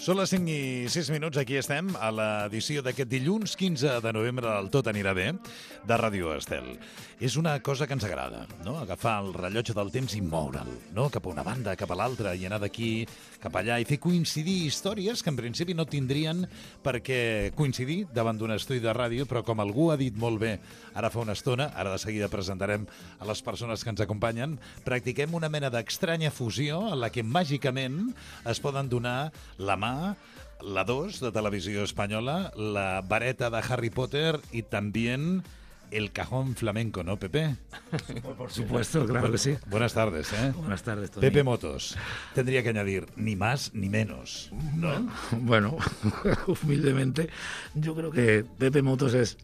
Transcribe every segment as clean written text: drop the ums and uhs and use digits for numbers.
Són les 5 i 6 minuts, aquí estem, a l'edició d'aquest dilluns 15 de novembre del Tot anirà bé, de Ràdio Estel. És una cosa que ens agrada, no? Agafar el rellotge del temps i moure'l, no? Cap a una banda, cap a l'altra, i anar d'aquí cap allà, i fer coincidir històries que en principi no tindrien per què coincidir davant d'un estudi de ràdio, però com algú ha dit molt bé ara fa una estona, ara de seguida presentarem a les persones que ens acompanyen, practiquem una mena d'estranya fusió en la que màgicament es poden donar la mà, la 2 de Televisió Espanyola, la vareta de Harry Potter y también el cajón flamenco, ¿no, Pepe? Por supuesto, claro que sí. Buenas tardes, ¿eh? Buenas tardes, Tony. Pepe Motos. Tendría que añadir ni más ni menos, ¿no? Bueno, humildemente, yo creo que Pepe Motos es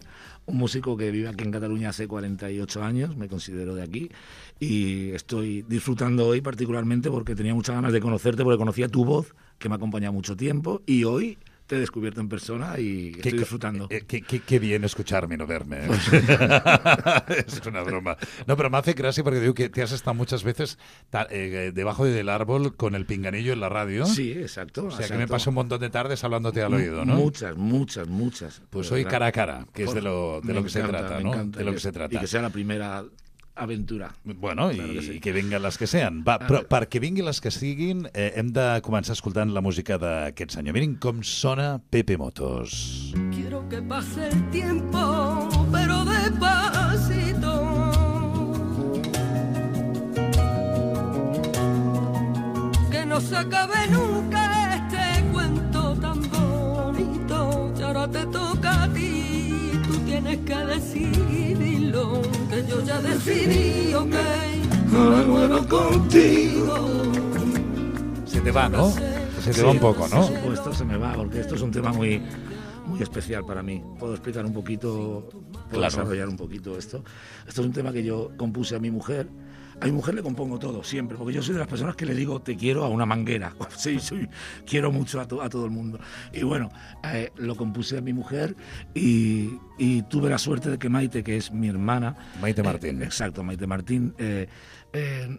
un músico que vive aquí en Cataluña hace 48 años, me considero de aquí, y estoy disfrutando hoy particularmente porque tenía muchas ganas de conocerte, porque conocía tu voz, que me ha acompañado mucho tiempo, y hoy te he descubierto en persona y estoy disfrutando. Qué bien escucharme y no verme. Es una broma. No, pero me hace gracia porque digo que te has estado muchas veces debajo del árbol con el pinganillo en la radio. Sí, exacto. O sea, que me paso un montón de tardes hablándote al oído, ¿no? Muchas. Pues hoy cara a cara, que es de lo que se trata, ¿no? De lo que se trata. Y que sea la primera aventura. Bueno, claro que vinguin les que sean. Va, però perquè vinguin les que siguin, hem de començar escoltant la música d'aquest senyor. Miren com sona Pepe Motos. Quiero que pase el tiempo, pero despacito. Que no se acabe nunca este cuento tan bonito. Y ahora te toca a ti, tú tienes que decidirlo. Que yo ya decidí, ok, Ahora vuelvo contigo. Se te va, ¿no? Se te va un poco, ¿no? Por supuesto, se me va, porque esto es un tema muy especial para mí. ¿Puedo explicar un poquito? ¿Puedo desarrollar un poquito esto? Esto es un tema que yo compuse a mi mujer. A mi mujer le compongo todo, siempre, porque yo soy de las personas que le digo te quiero a una manguera. Sí, quiero mucho a todo el mundo. Y bueno, lo compuse a mi mujer y tuve la suerte de que Maite, que es mi hermana... Maite Martín. Exacto, Maite Martín.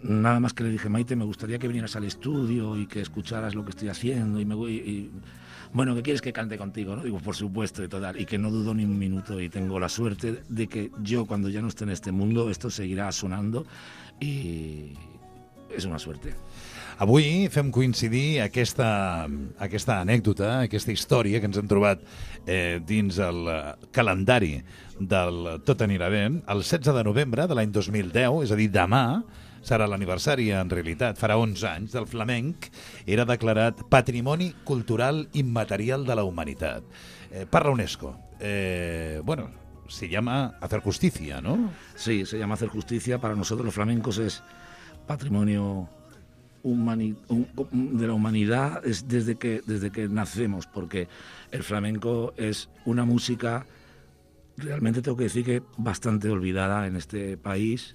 Nada más que le dije, Maite, me gustaría que vinieras al estudio y que escucharas lo que estoy haciendo bueno, ¿qué quieres que cante contigo? ¿No? Digo, por supuesto, y total, y que no dudo ni un minuto, y tengo la suerte de que yo, cuando ya no esté en este mundo, esto seguirá sonando, i és una suerte. Avui fem coincidir aquesta anècdota, aquesta història que ens hem trobat dins el calendari del Tot anirà bé, el 16 de novembre de l'any 2010, és a dir, demà, serà l'aniversari, en realitat, farà 11 anys, del flamenc, era declarat Patrimoni Cultural Immaterial de la Humanitat. Per la UNESCO. Bueno, se llama Hacer Justicia, ¿no? Sí, se llama Hacer Justicia. Para nosotros los flamencos es patrimonio de la humanidad es desde que nacemos, porque el flamenco es una música, realmente tengo que decir que bastante olvidada en este país.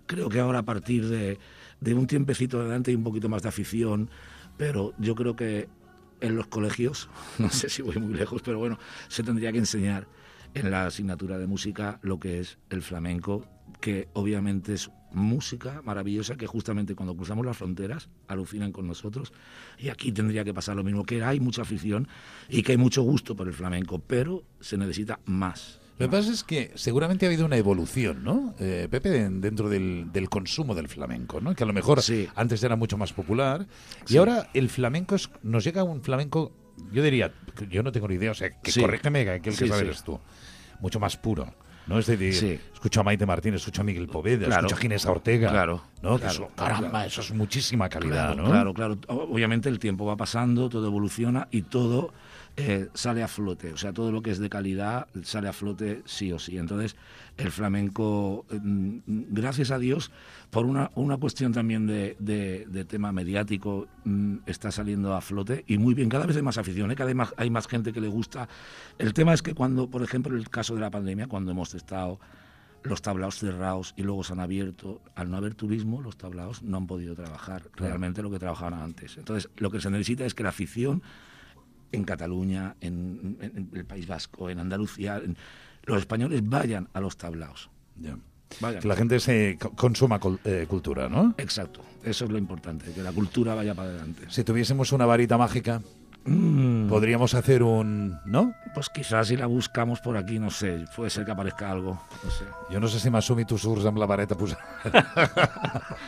Creo que ahora, a partir de un tiempecito adelante, hay un poquito más de afición, pero yo creo que en los colegios, no sé si voy muy lejos, pero bueno, se tendría que enseñar en la asignatura de música lo que es el flamenco, que obviamente es música maravillosa, que justamente cuando cruzamos las fronteras alucinan con nosotros, y aquí tendría que pasar lo mismo, que hay mucha afición y que hay mucho gusto por el flamenco, pero se necesita más. Lo que pasa es que seguramente ha habido una evolución, ¿no? Pepe, dentro del consumo del flamenco, ¿no? Que a lo mejor antes era mucho más popular, y ahora el flamenco nos llega un flamenco, yo diría, yo no tengo ni idea, o sea, que corrígeme, que aquel que sabes eres tú, mucho más puro, ¿no? Es decir, escucho a Maite Martín, escucho a Miguel Poveda, escucho a Ginés Ortega, ¿no? Caramba, eso es muchísima calidad, ¿no? Claro. Obviamente el tiempo va pasando, todo evoluciona y todo sale a flote. O sea, todo lo que es de calidad sale a flote sí o sí. Entonces, el flamenco, gracias a Dios, por una cuestión también de tema mediático, está saliendo a flote y muy bien. Cada vez hay más afición, cada vez hay más gente que le gusta. El tema es que cuando, por ejemplo, en el caso de la pandemia, cuando hemos estado los tablaos cerrados y luego se han abierto, al no haber turismo, los tablaos no han podido trabajar realmente lo que trabajaban antes. Entonces, lo que se necesita es que la afición en Cataluña, en el País Vasco, en Andalucía, los españoles vayan a los tablaos. Que la gente se consuma cultura, ¿no? Exacto, eso es lo importante, que la cultura vaya para adelante. Si tuviésemos una varita mágica, Podríamos hacer un... ¿no? Pues quizás si la buscamos por aquí, no sé, puede ser que aparezca algo, no sé. Jo no sé si Masumi tu surts amb la vareta posada.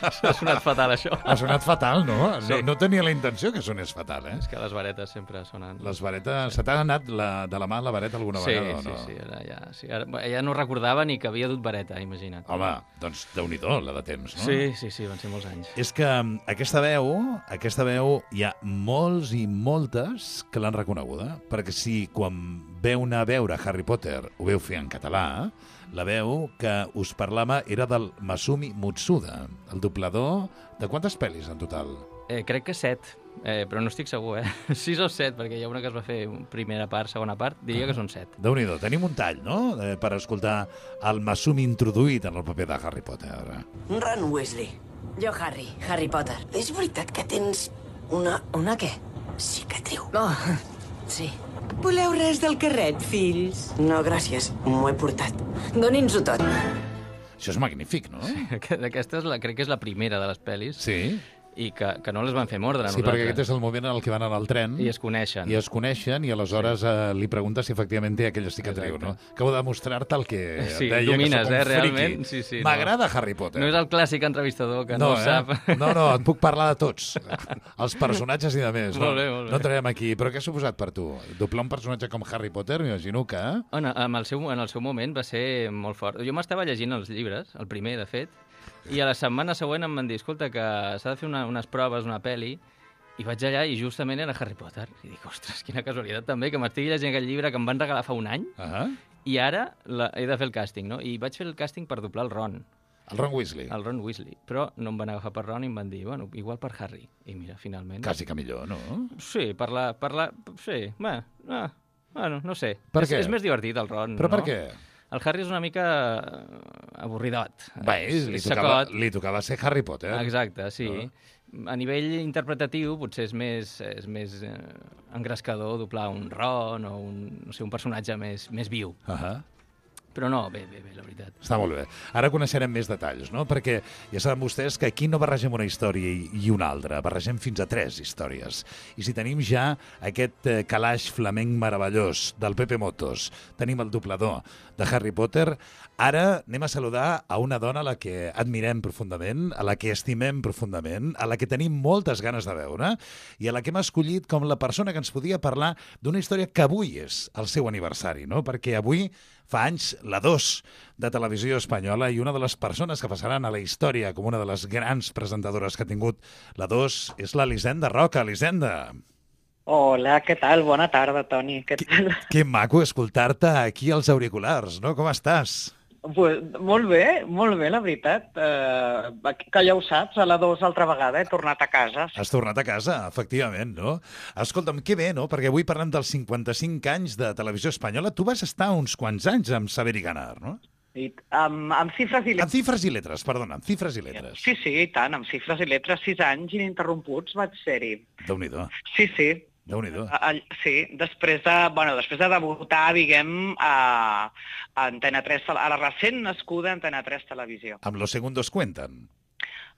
Ha sonat fatal, això. Ha sonat fatal, no? Sí. No tenia la intenció que sonés fatal, eh? És que les varetes sempre sonen... Les varetes... Se t'ha anat de la mà la vareta alguna vegada o no? Sí, ara ja no recordava ni que havia dut vareta, imagina't. Home, doncs Déu-n'hi-do, la de temps, no? Sí, van ser molts anys. És que aquesta veu, hi ha molts i moltes que l'han reconeguda, perquè si quan veu anar a veure Harry Potter ho veu fer en català, la veu que us parlava era del Masumi Mutsuda, el doblador de quantes pel·lis en total? Crec que 7, però no estic segur, 6 o 7, perquè hi ha una que es va fer primera part, segona part, diria que són 7. Déu-n'hi-do, tenim un tall, no?, per escoltar el Masumi introduït en el paper de Harry Potter. Ron Weasley. Jo, Harry Potter. És veritat que tens una què? Cicatriu. Oh, sí. Voleu res del carret, fills? No, gràcies. M'ho he portat. Doni'ns-ho tot. Això és magnífic, no? Aquesta crec que és la primera de les pel·lis. Sí. I que no les van fer mordre a Sí, nosaltres. perquè aquest és el moment en el que van anar al tren I es coneixen. I aleshores li pregunta si efectivament té aquella cicatriu, Exacte. no? Acabo de demostrar-te el que Sí, deia, domines, que soc un realment. friqui. Sí, M'agrada Harry Potter. No és el clàssic entrevistador que no sap. No, et puc parlar de tots. Els personatges i de més. Molt bé, molt bé. No entrarem aquí. Però què ha suposat per tu? Doblar un personatge com Harry Potter, m'imagino que... En el seu moment va ser molt fort. Jo m'estava llegint els llibres, el primer, de fet, i a la setmana següent em van dir, escolta, que s'ha de fer unes proves, una pel·li, i vaig allà i justament era Harry Potter. I dic, ostres, quina casualitat també, que m'estigui llegint aquest llibre que em van regalar fa un any, i ara he de fer el càsting, no? I vaig fer el càsting per doblar el Ron. El Ron Weasley. El Ron Weasley. Però no em van agafar per Ron i em van dir, bueno, igual per Harry. I mira, finalment... Quasi que millor, no? Sí, sí, bueno, no sé. Per què? És més divertit el Ron, Però no? per què? El Harry és una mica avorridot. Bé, li tocava ser Harry Potter. Exacte, sí. A nivell interpretatiu potser és més engrescador doblar un Ron o un personatge més viu. Però no, bé, la veritat. Està molt bé. Ara coneixerem més detalls, no? Perquè ja saben vostès que aquí no barregem una història i una altra, barregem fins a 3 històries. I si tenim ja aquest calaix flamenc meravellós del Pepe Motos, tenim el doblador de Harry Potter, ara anem a saludar a una dona a la que admirem profundament, a la que estimem profundament, a la que tenim moltes ganes de veure i a la que hem escollit com la persona que ens podia parlar d'una història que avui és el seu aniversari, no? Perquè avui fa anys la 2 de Televisió Espanyola i una de les persones que passaran a la història com una de les grans presentadores que ha tingut la 2 és l'Elisenda Roca. Elisenda. Hola, què tal? Bona tarda, Toni. Què tal? Que maco escoltar-te aquí als auriculars, no? Com estàs? Pues, molt bé, la veritat. Que ja ho saps, a la 2 altra vegada he tornat a casa. Has tornat a casa, efectivament, no? Escolta'm, que bé, no? Perquè avui parlem dels 55 anys de Televisió Espanyola. Tu vas estar uns quants anys amb Saber i Ganar, no? I amb xifres i lletres. Amb xifres i lletres, perdona, amb xifres i lletres. Sí, i tant, amb xifres i lletres, 6 anys ininterromputs vaig ser-hi. Déu-n'hi-do. Sí. Déu-n'hi-do. Sí, després de debutar, diguem, a Antena 3, a la recent nascuda Antena 3 Televisió. Amb Los Segundos Cuentan.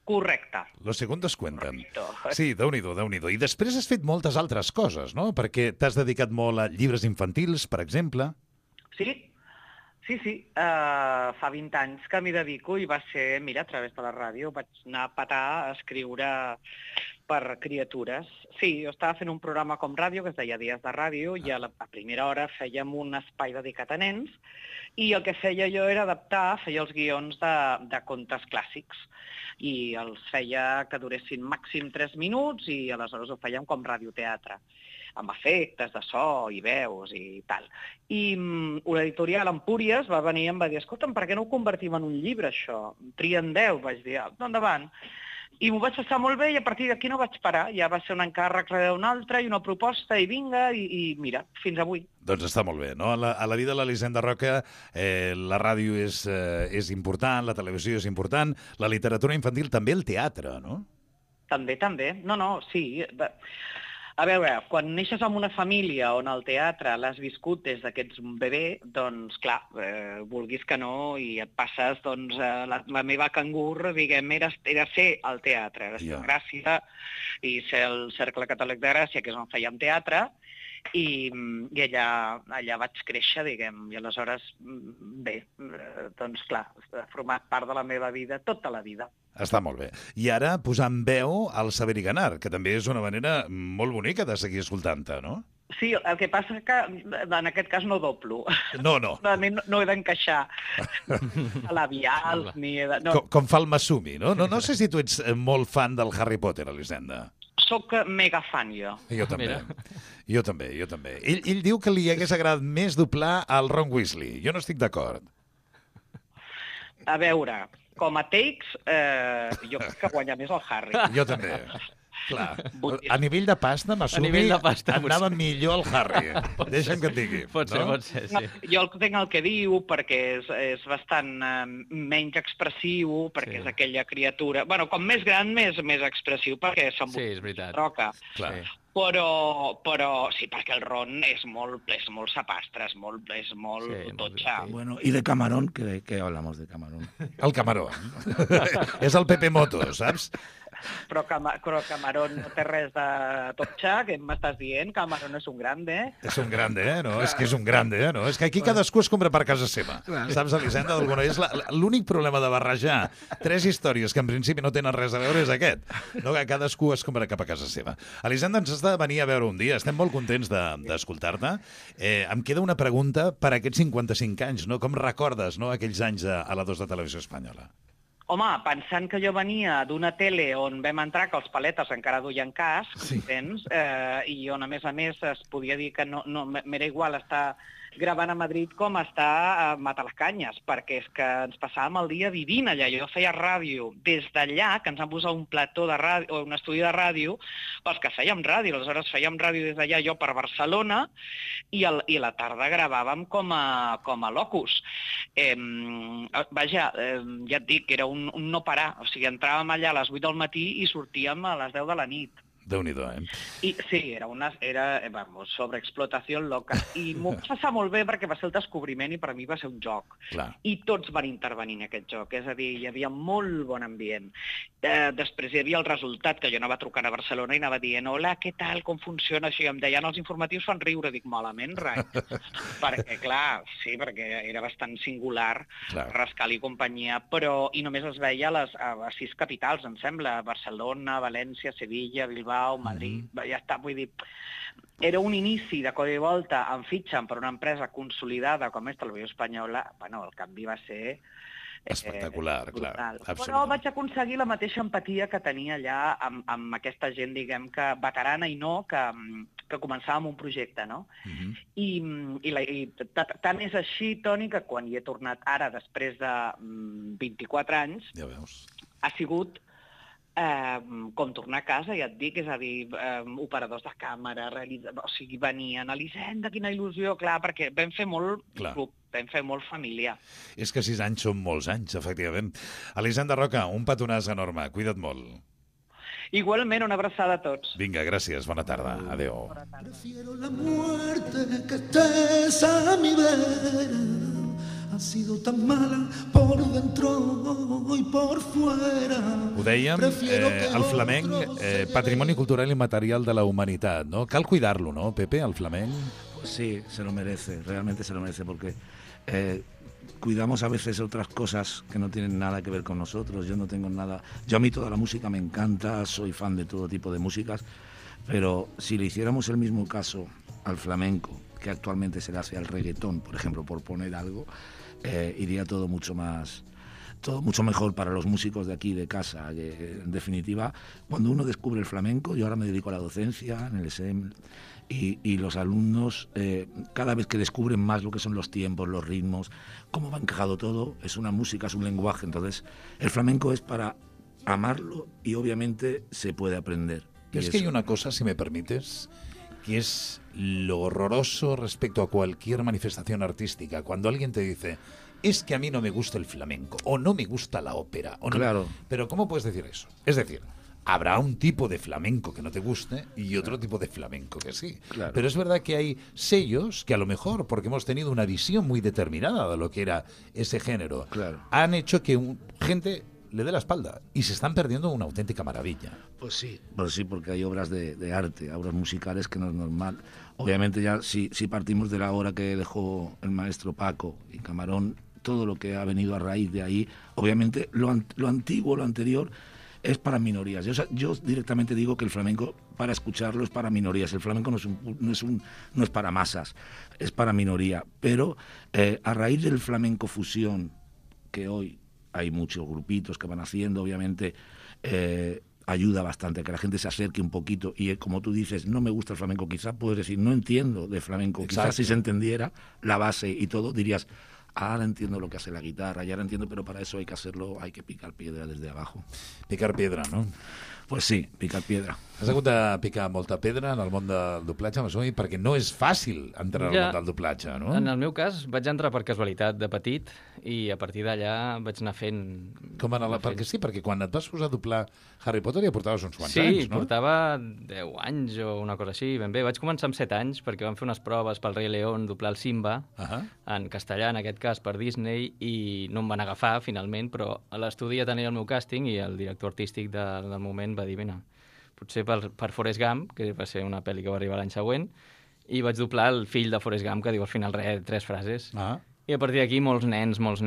Correcte. Los Segundos Cuentan. Sí, Déu-n'hi-do. I després has fet moltes altres coses, no? Perquè t'has dedicat molt a llibres infantils, per exemple. Sí. Fa 20 anys que m'hi dedico i va ser, mira, a través de la ràdio, vaig anar a petar a escriure per criatures. Sí, jo estava fent un programa com ràdio que es deia Dies de Ràdio i a primera hora fèiem un espai dedicat a nens i el que feia jo era feia els guions de contes clàssics i els feia que duressin màxim 3 minuts i aleshores ho fèiem com radioteatre, amb efectes de so i veus i tal. I una editorial, Empúries, va venir i em va dir, escolta'm, per què no ho convertim en un llibre, això? Trien 10, vaig dir, endavant. I m'ho vaig passar molt bé i a partir d'aquí no vaig parar. Ja va ser un encàrrec d'un altre i una proposta i vinga, i mira, fins avui. Doncs està molt bé, no? A la vida de l'Elisenda Roca la ràdio és important, la televisió és important, la literatura infantil també, el teatre, no? També. No, sí. A veure, quan neixes en una família on el teatre l'has viscut des que ets un bebè, doncs, clar, vulguis que no, i et passes, doncs, la meva cangur, diguem, era ser al teatre, era ser Gràcia, i ser el Cercle Catòlic de Gràcia, que és on fèiem teatre, i allà vaig créixer, diguem, i aleshores, bé, doncs, clar, ha format part de la meva vida tota la vida. Està molt bé. I ara posant veu al Saber i Ganar, que també és una manera molt bonica de seguir escoltant-te, no? Sí, el que passa que en aquest cas no doblo. No. No he d'encaixar a labials ni... No. Com fa el Masumi, no? No sé si tu ets molt fan del Harry Potter, Elisenda. Soc mega fan, jo. Jo també. Ell diu que li hagués agradat més doblar al Ron Weasley. Jo no estic d'acord. A veure, com a takes, jo crec que guanya més el Harry. Jo també. Clar. A nivell de pasta, Masumi, anava millor el Harry. Deixa'm que et digui. Pot ser, sí. Jo entenc el que diu, perquè és bastant menys expressiu, perquè és aquella criatura... Bueno, com més gran, més expressiu, perquè s'emboca. Clar. Però sí, perquè el Ron és molt sapastre, és molt totxa. Bueno, y de Camarón, ¿qué hablamos de Camarón? El Camarón. És el Pepe Moto, saps? Però Camarón no té res de totxa, què m'estàs dient? Camarón és un grande. És un grande, no? És que és un grande, no? És que aquí cadascú es compra per casa seva. Saps, Elisenda? És l'únic problema de barrejar 3 històries que en principi no tenen res a veure és aquest. No, que cadascú es compra cap a casa seva. Elisenda, ens has de venir a veure un dia. Estem molt contents d'escoltar-te. Em queda una pregunta per a aquests 55 anys, no? Com recordes, no, aquells anys a la 2 de Televisió Espanyola? Home, pensant que jo venia d'una tele on vam entrar que els paletes encara duien casc, entens? I on, a més, es podia dir que no m'era igual estar gravant a Madrid com estar a Matalascanyes, perquè és que ens passàvem el dia vivint allà. Jo feia ràdio des d'allà, que ens han posat un plató de ràdio, o un estudi de ràdio, pels que fèiem ràdio. Aleshores fèiem ràdio des d'allà jo per Barcelona i a la tarda gravàvem com a locus. Ja et dic, era un no parar. O sigui, entràvem allà a les 8 del matí i sortíem a les 10 de la nit. Déu-n'hi-do, I sí, era sobreexplotació loca. I m'ho va passar molt bé perquè va ser el descobriment i per a mi va ser un joc. Clar. I tots van intervenir en aquest joc, és a dir, hi havia molt bon ambient. Després hi havia el resultat, que jo anava trucant a Barcelona i anava dient hola, què tal, com funciona això? I em deien els informatius fan riure, dic malament, rai. Perquè, clar, sí, perquè era bastant singular, Rascal i companyia, però i només es veia a 6 capitals, em sembla, Barcelona, València, Sevilla, Bilbao, Madrid, ja està, vull dir, era un inici de codi i volta, em fitxen per una empresa consolidada com és Televisió Espanyola, bueno, el canvi va ser espectacular, clar. Però vaig aconseguir la mateixa empatia que tenia allà amb aquesta gent, diguem, que veterana i no, que començava amb un projecte, no? I tant és així, Toni, que quan hi he tornat ara, després de 24 anys, ja veus, ha sigut com tornar a casa, ja et dic, és a dir, operadors de càmera, o sigui, venien, Elisenda, quina il·lusió, clar, perquè vam fer molt club, vam fer molt família. És que 6 anys són molts anys, efectivament. Elisenda Roca, un petonàs enorme, cuida't molt. Igualment, una abraçada a tots. Vinga, gràcies, bona tarda, adéu. Prefiero la muerte que estés a mi vera. Ha sido tan mala por dentro y por fuera. Ho dèiem, el flamenc, patrimoni cultural i material de la humanitat, no? Cal cuidar-lo, ¿no, Pepe, el flamenc? Sí, se lo merece, realmente se lo merece, porque cuidamos a veces otras cosas que no tienen nada que ver con nosotros. Yo no tengo nada... Yo a mí toda la música me encanta, soy fan de todo tipo de músicas, pero si le hiciéramos el mismo caso al flamenco, que actualmente se le hace al reggaetón, por ejemplo, por poner algo, iría todo mucho mejor para los músicos de aquí, de casa. En definitiva, cuando uno descubre el flamenco, yo ahora me dedico a la docencia en el ESEM, y los alumnos, cada vez que descubren más lo que son los tiempos, los ritmos, cómo va encajado todo, es una música, es un lenguaje. Entonces, el flamenco es para amarlo y obviamente se puede aprender. Y es que hay una cosa, si me permites, que es lo horroroso respecto a cualquier manifestación artística. Cuando alguien te dice, es que a mí no me gusta el flamenco, o no me gusta la ópera. O no... Claro. Pero ¿cómo puedes decir eso? Es decir, habrá un tipo de flamenco que no te guste y otro tipo de flamenco que sí. Claro. Pero es verdad que hay sellos que a lo mejor, porque hemos tenido una visión muy determinada de lo que era ese género, Claro. han hecho que gente le dé la espalda y se están perdiendo una auténtica maravilla. Pues sí, porque hay obras de arte, obras musicales que no es normal. Obviamente ya si partimos de la obra que dejó el maestro Paco y Camarón, todo lo que ha venido a raíz de ahí, obviamente lo antiguo, lo anterior, es para minorías. Yo directamente digo que el flamenco, para escucharlo, es para minorías. El flamenco no es para masas, es para minoría. Pero a raíz del flamenco fusión, que hoy hay muchos grupitos que van haciendo, obviamente ayuda bastante a que la gente se acerque un poquito. Y como tú dices, no me gusta el flamenco, quizás puedes decir, no entiendo de flamenco. Exacto. Quizás si se entendiera la base y todo, dirías, ahora entiendo lo que hace la guitarra, ya lo entiendo, pero para eso hay que hacerlo, hay que picar piedra desde abajo. Picar pedra, no? Pues sí, picar piedra. Has hagut de picar molta pedra en el món del doblatge, m'assumir, perquè no és fàcil entrar al món del doblatge, no? En el meu cas vaig entrar per casualitat de petit i a partir d'allà vaig anar fent... Perquè sí, perquè quan et vas posar a doblar Harry Potter ja portaves uns quants anys, no? Sí, portava 10 anys o una cosa així, ben bé. Vaig començar amb 7 anys perquè vam fer unes proves pel Rei León, doblar el Simba, en castellà, en aquest cas, per Disney, i no em van agafar, finalment, però a l'estudi ja tenia el meu càsting i el director artístic del moment va dir, mira, potser per Forrest Gump, que va ser una pel·li que va arribar l'any següent, i vaig doblar el fill de Forrest Gump, que diu al final 3 frases. I a partir d'aquí molts nens, i els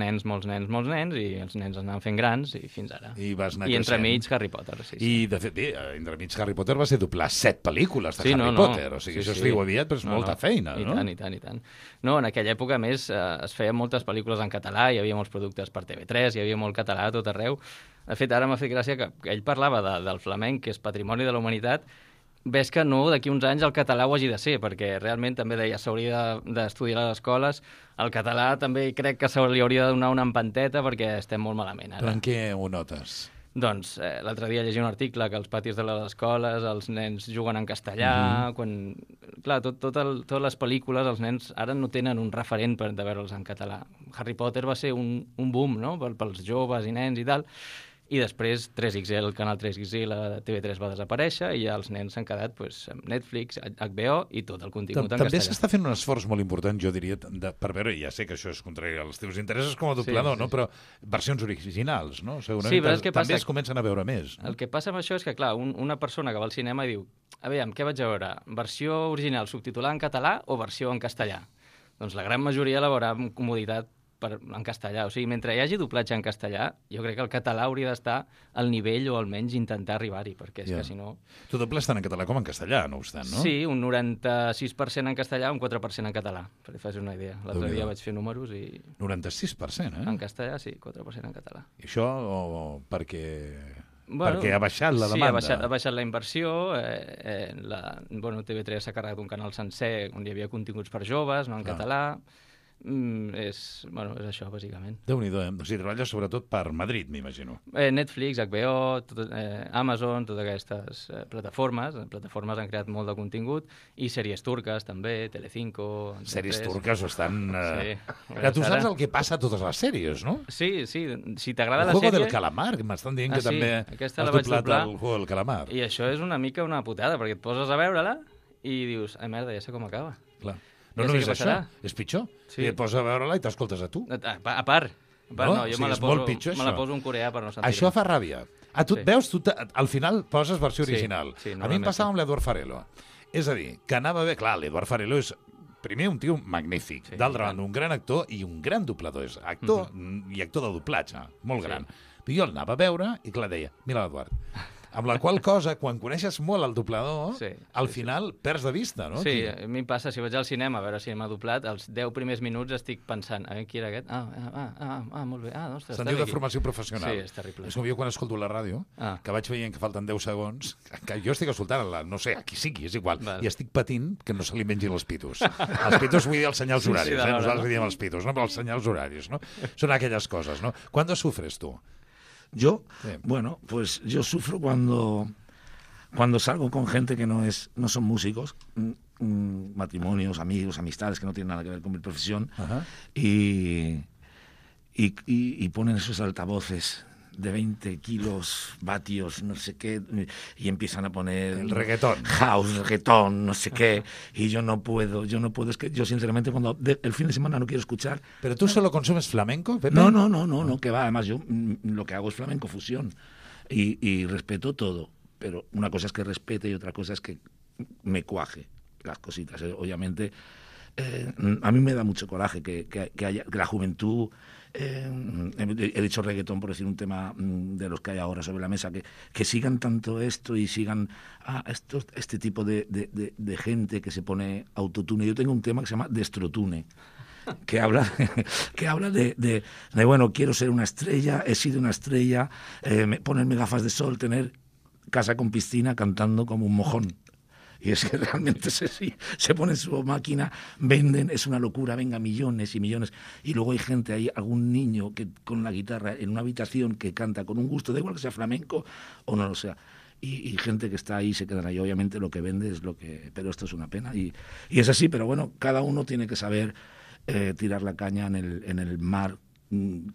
nens anaven fent grans, i fins ara. I vas anar entremig Harry Potter, sí. I, de fet, bé, entremig Harry Potter va ser doblar 7 pel·lícules de Harry Potter, o sigui, això es diu aviat, però és molta feina, no? I tant. No, en aquella època, a més, es feien moltes pel·lícules en català, hi havia molts productes per TV3, hi havia molt català a tot arreu. De fet, ara m'ha fet gràcia que ell parlava del flamenc, que és patrimoni de la humanitat. Ves que no, d'aquí uns anys el català ho hagi de ser, perquè realment també deia s'hauria d'estudiar a les escoles. El català també crec que se li hauria de donar una empanteta perquè estem molt malament ara. Però en què ho notes? Doncs l'altre dia llegia un article que als patis de les escoles els nens juguen en castellà, quan... Clar, totes les pel·lícules, els nens ara no tenen un referent de veure'ls en català. Harry Potter va ser un boom, no?, pels joves i nens i tal, i després 3XL, el canal 3XL, la TV3 va desaparèixer i ja els nens s'han quedat amb Netflix, HBO i tot el contingut en castellà. També s'està fent un esforç molt important, jo diria, per veure, ja sé que això és contrari als teus interessos com a doblador, no? Però versions originals, no? Segurament també es comencen a veure més. El que passa amb això és que, clar, una persona que va al cinema i diu, aviam, què vaig a veure? Versió original subtitulada en català o versió en castellà? Doncs la gran majoria la veurà amb comoditat en castellà. O sigui, mentre hi hagi doblatge en castellà, jo crec que el català hauria d'estar al nivell o almenys intentar arribar-hi, perquè és que si no... Tu dobles tant en català com en castellà, no obstant, no? Sí, un 96% en castellà, un 4% en català, per fer una idea. L'altre dia vaig fer números i... 96%, eh? En castellà, sí, 4% en català. I això perquè ha baixat la demanda. Sí, ha baixat la inversió. TV3 s'ha carregat un canal sencer on hi havia continguts per joves, no en català. És això, bàsicament. Déu-n'hi-do, O sigui, treballes sobretot per Madrid, m'imagino. Netflix, HBO, Amazon, totes aquestes plataformes han creat molt de contingut, i sèries turques també, Telecinco... Sèries turques estan... Tu saps el que passa a totes les sèries, no? Sí, si t'agrada la sèrie... El Juego del Calamar, que m'estan dient que també has doblat el Juego del Calamar. I això és una mica una putada, perquè et poses a veure-la i dius, ai merda, ja sé com acaba. Clar. No és això, és pitjor. I et poses a veure-la i t'escoltes a tu. A part. No, jo me la poso en coreà per no sentir-ho. Això fa ràbia. Tu et veus, al final poses versió original. A mi em passava amb l'Eduard Farelo. És a dir, que anava bé... Clar, l'Eduard Farelo és, primer, un tio magnífic. D'altra banda, un gran actor i un gran doblador. És actor i actor de doblatge, molt gran. Però jo l'anava a veure i, clar, deia, mira l'Eduard. Amb la qual cosa, quan coneixes molt el doblador, al final perds de vista, no? Sí, a mi em passa, si vaig al cinema a veure si m'ha doblat, els 10 primers minuts estic pensant, a veure, qui era aquest? Molt bé. Ostres, se'n diu de formació professional. Sí, és terrible. És com jo quan escolto la ràdio, que vaig veient que falten 10 segons, que jo estic escoltant, no sé, a qui sigui, és igual, i estic patint que no se li mengin els pitos. Els pitos vull dir els senyals horaris, nosaltres diem els pitos, no? Però els senyals horaris, no? Són aquelles cosas, ¿no? ¿Cuándo sufres tú? Yo, pues yo sufro cuando salgo con gente que no son músicos, matrimonios, amigos, amistades que no tienen nada que ver con mi profesión, y ponen esos altavoces de 20 kilos, vatios, no sé qué, y empiezan a poner... El reggaetón. House, reggaetón, no sé qué, y yo no puedo, es que yo sinceramente cuando el fin de semana no quiero escuchar... ¿Pero tú solo consumes flamenco, Pepe? No, que va, además yo lo que hago es flamenco fusión, y respeto todo, pero una cosa es que respete y otra cosa es que me cuaje las cositas, obviamente... a mí me da mucho coraje que la juventud, he dicho reggaetón por decir un tema de los que hay ahora sobre la mesa, que sigan tanto esto y sigan este tipo de gente que se pone autotune. Yo tengo un tema que se llama Destrotune, que habla de bueno, quiero ser una estrella, he sido una estrella, ponerme gafas de sol, tener casa con piscina, cantando como un mojón. Y es que realmente se ponen su máquina, venden, es una locura, venga, millones y millones. Y luego hay gente ahí, algún niño que con la guitarra en una habitación que canta con un gusto, da igual que sea flamenco o no lo sea. Y gente que está ahí se quedan ahí. Obviamente lo que vende es lo que... Pero esto es una pena. Y es así, pero bueno, cada uno tiene que saber tirar la caña en el mar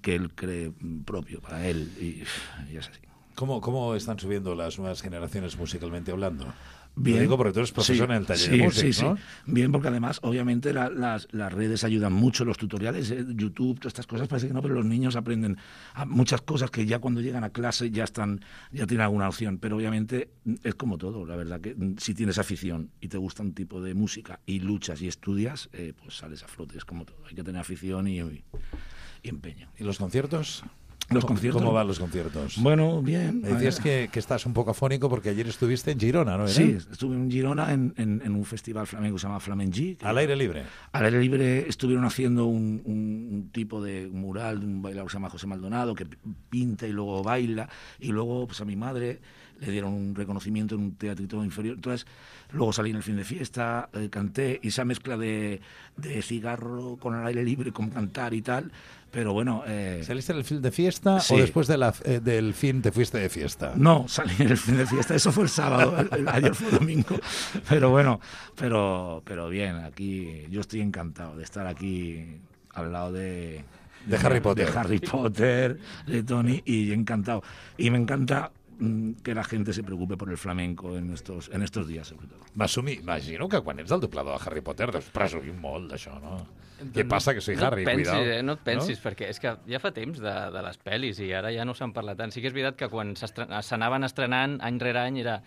que él cree propio para él. Y es así. ¿Cómo están subiendo las nuevas generaciones musicalmente hablando? Bien. Lo digo porque tú eres profesor en el taller de música, ¿no? Sí. Bien, porque además, obviamente, las redes ayudan mucho, los tutoriales, YouTube, todas estas cosas, parece que no, pero los niños aprenden muchas cosas que ya cuando llegan a clase ya tienen alguna opción, pero obviamente es como todo, la verdad, que si tienes afición y te gusta un tipo de música y luchas y estudias, pues sales a flote, es como todo, hay que tener afición y empeño. ¿Y los conciertos? ¿Cómo van los conciertos? Bueno, bien. Me decías que estás un poco afónico porque ayer estuviste en Girona, ¿no? Sí, estuve en Girona en un festival flamenco que se llama Flamengi. ¿Al aire libre? Al aire libre estuvieron haciendo un tipo de mural de un bailador que se llama José Maldonado, que pinta y luego baila, y luego pues a mi madre le dieron un reconocimiento en un teatrito inferior. Entonces, luego salí en el fin de fiesta, canté, y esa mezcla de cigarro con el aire libre, con cantar y tal, pero bueno... ¿Saliste en el fin de fiesta sí. o después del fin te fuiste de fiesta? No, salí en el fin de fiesta, eso fue el sábado, ayer fue domingo, pero bueno, pero bien, aquí yo estoy encantado de estar aquí al lado de Harry Potter. De Harry Potter, de Tony, y encantado. Y me encanta que la gente se preocupe por el flamenco en estos días, sobre todo. M'imagino que quan ets el doblador de Harry Potter deus presumir molt d'això, no? Què passa, que soy Harry, cuidao. No et pensis, no? Perquè és que ja fa temps de les pel·lis i ara ja no se'n parla tant. Sí que és veritat que quan s'anaven estrenant any rere any era...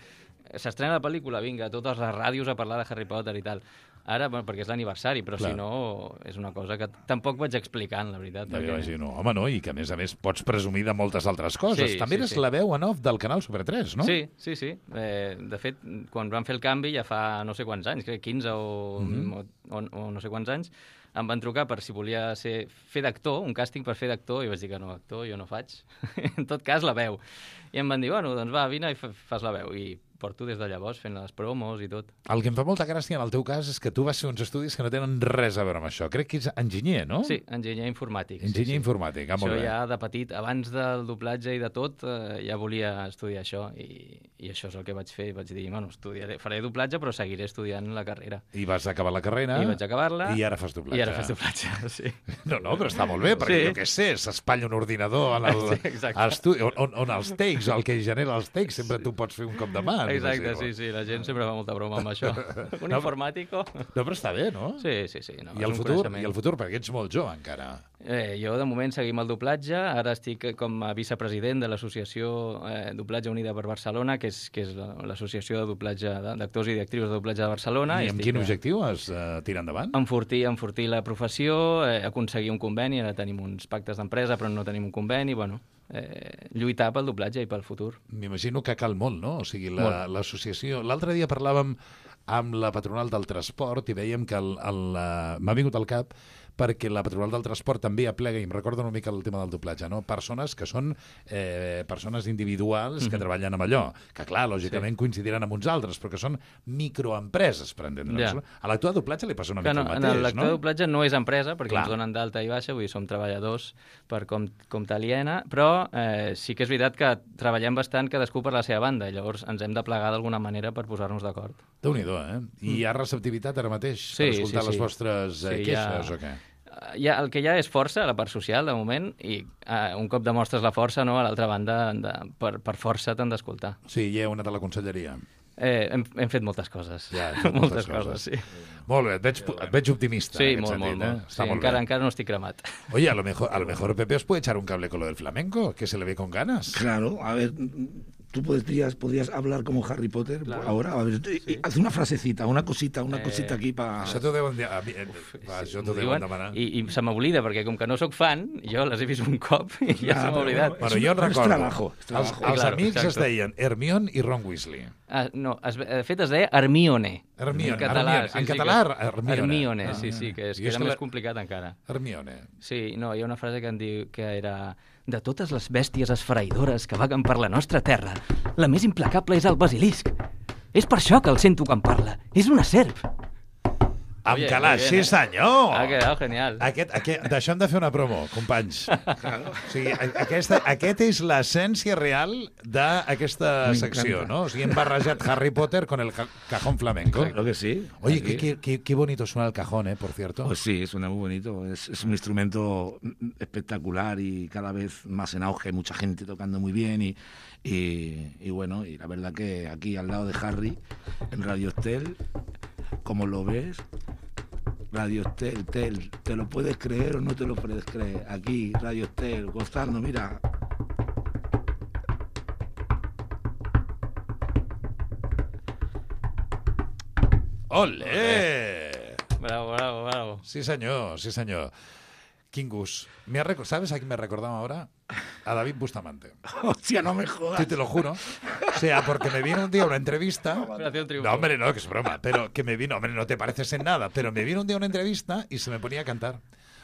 S'estrena la pel·lícula, vinga, totes les ràdios a parlar de Harry Potter i tal. Ara, bueno, perquè és l'aniversari, però clar, si no, és una cosa que tampoc vaig explicant, la veritat. Ja m'imagino. Home, no, i que a més pots presumir de moltes altres coses. Sí, també eres la veu en off del canal Super 3, no? Sí. De fet, quan van fer el canvi ja fa no sé quants anys, crec 15 o no sé quants anys, em van trucar per si volia fer d'actor, un càsting per fer d'actor, i vaig dir que no, actor jo no faig. En tot cas, la veu. I em van dir, bueno, doncs va, vine i fas la veu. I porto des de llavors fent les promos i tot. El que em fa molta gràcia en el teu cas és que tu vas fer uns estudis que no tenen res a veure amb això. Crec que ets enginyer, no? Sí, enginyer informàtic. Enginyer informàtic, molt bé. Això ja de petit, abans del doblatge i de tot, ja volia estudiar això i això és el que vaig fer. Vaig dir, bueno, faré doblatge però seguiré estudiant la carrera. I vas acabar la carrera. I vaig acabar-la. I ara fas doblatge. I ara fas doblatge, sí. No, però està molt bé, perquè jo què sé, s'espatlla un ordinador a l'estudi, on els takes, el que genera els takes, sempre tu pots fer un cop de mà. Exacte, sí. La gent sempre fa molta broma amb això. Un informàtico... No, però està bé, no? Sí. No, I el futur, perquè ets molt jove encara. Jo, de moment, seguim el doblatge. Ara estic com a vicepresident de l'associació Doblatge Unida per Barcelona, que és l'associació de doblatge d'actors i d'actrius de doblatge de Barcelona. I amb quin objectiu has tirat endavant? Enfortir la professió, aconseguir un conveni. Ara tenim uns pactes d'empresa, però no tenim un conveni. Bueno, lluitar pel doblatge i pel futur. M'imagino que cal molt, no? O sigui, l'associació... L'altre dia parlàvem amb la patronal del transport i veiem que m'ha vingut al cap perquè la patronal del transport també aplega, i em recorda una mica el tema del doblatge, no? Persones que són persones individuals que treballen amb allò, que clar, lògicament coincidiran amb uns altres, però que són microempreses, per entendre'ns. A l'actor de doblatge li passa una mica el mateix, no? L'actor de doblatge no és empresa, perquè ens donen d'alta i baixa, vull dir, som treballadors per compte aliena, però sí que és veritat que treballem bastant cadascú per la seva banda, i llavors ens hem de plegar d'alguna manera per posar-nos d'acord. Déu-n'hi-do, eh? I hi ha receptivitat ara mateix per escoltar les vostres queixes o què? el que hi ha és força, la part social, de moment, i un cop demostres la força, no, a l'altra banda, per força t'han d'escoltar. Sí, hi ha una de la conselleria. Hem fet moltes coses. Ja, hem fet moltes coses, sí. Molt bé, et veig optimista. Sí, en aquest molt. sentit, Sí, encara no estic cremat. Oye, a lo mejor Pepe os puede echar un cable con lo del flamenco, que se le ve con ganas. Claro, a ver, tú podrías hablar como Harry Potter ahora. A ver, haz una frasecita, una cosita aquí para... Això t'ho deuen demanar. I se m'oblida, perquè com que no sóc fan, jo les he vist un cop i ja se m'ha oblidat. Bueno, jo recordo. És trabajo. Els amics es deien Hermione i Ron Weasley. No, de fet es deia Hermione. Hermione, en català. en català, Hermione. Hermione, sí, que era més complicat encara. Hermione. Sí, no, hi ha una frase que em diu que era: de totes les bèsties esfereïdores que vaguen per la nostra terra, la més implacable és el basilisc. És per això que el sento quan parla. És una serp. Amb calaix, sí senyor! Ha quedat genial. D'això hem de fer una promo, companys. O sigui, aquest és l'essència real d'aquesta secció, ¿no? O sigui, hem barrejat Harry Potter con el cajón flamenco. Claro que sí. Oye, qué bonito suena el cajón, por cierto. Pues sí, suena muy bonito. Es un instrumento espectacular y cada vez más en auge, mucha gente tocando muy bien y bueno, y la verdad que aquí al lado de Harry, en Radio Estel, como lo ves, Radio Estel, ¿te lo puedes creer o no te lo puedes creer? Aquí, Radio Estel, gozando, mira. ¡Olé! Bravo. Sí, senyor. Quin gust. ¿Sabes a quién me recordaba ahora? A David Bustamante. Hostia, no me jodas. Sí, te lo juro. O sea, porque me vino un día una entrevista. No, hombre, no, que es broma. Pero que me vino, hombre, no te pareces en nada. Pero me vino un día una entrevista y se me ponía a cantar.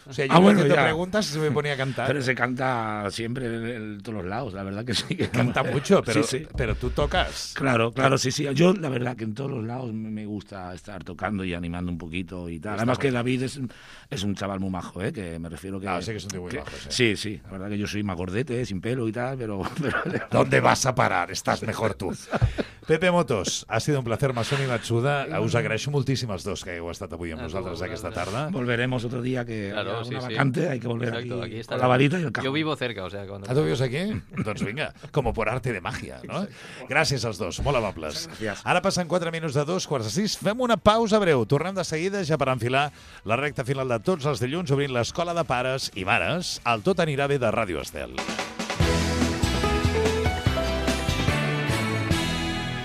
O sea, yo haciendo preguntas y se me ponía a cantar. Pero se canta siempre en todos los lados, la verdad que sí. Canta mucho, pero, sí. Pero tú tocas. Claro, sí. Yo, la verdad que en todos los lados me gusta estar tocando y animando un poquito y tal. Además que David es un chaval muy majo, que me refiero que... sí que es un tío muy majo, sí. La verdad que yo soy más gordete, sin pelo y tal, pero... ¿Dónde vas a parar? Estás mejor tú. Pepe Motos, ha sido un placer, Masoni Matsuda. Us agraeixo moltíssim els dos que heu estat avui amb nosaltres aquesta tarda. Volveremos otro día que claro, una vacante, hay que volver. Exacto, aquí con la varita y el cajón. Yo vivo cerca, o sea... ¿Tú vives aquí? Doncs vinga, como por arte de magia, no? Gràcies als dos, molt amables. Gràcies. Ara passen 4 minuts de 2:45. Fem una pausa breu. Tornem de seguida ja per enfilar la recta final de tots els dilluns obrint l'Escola de Pares i Mares al Tot anirà bé de Ràdio Estel.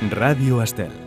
Ràdio Estel.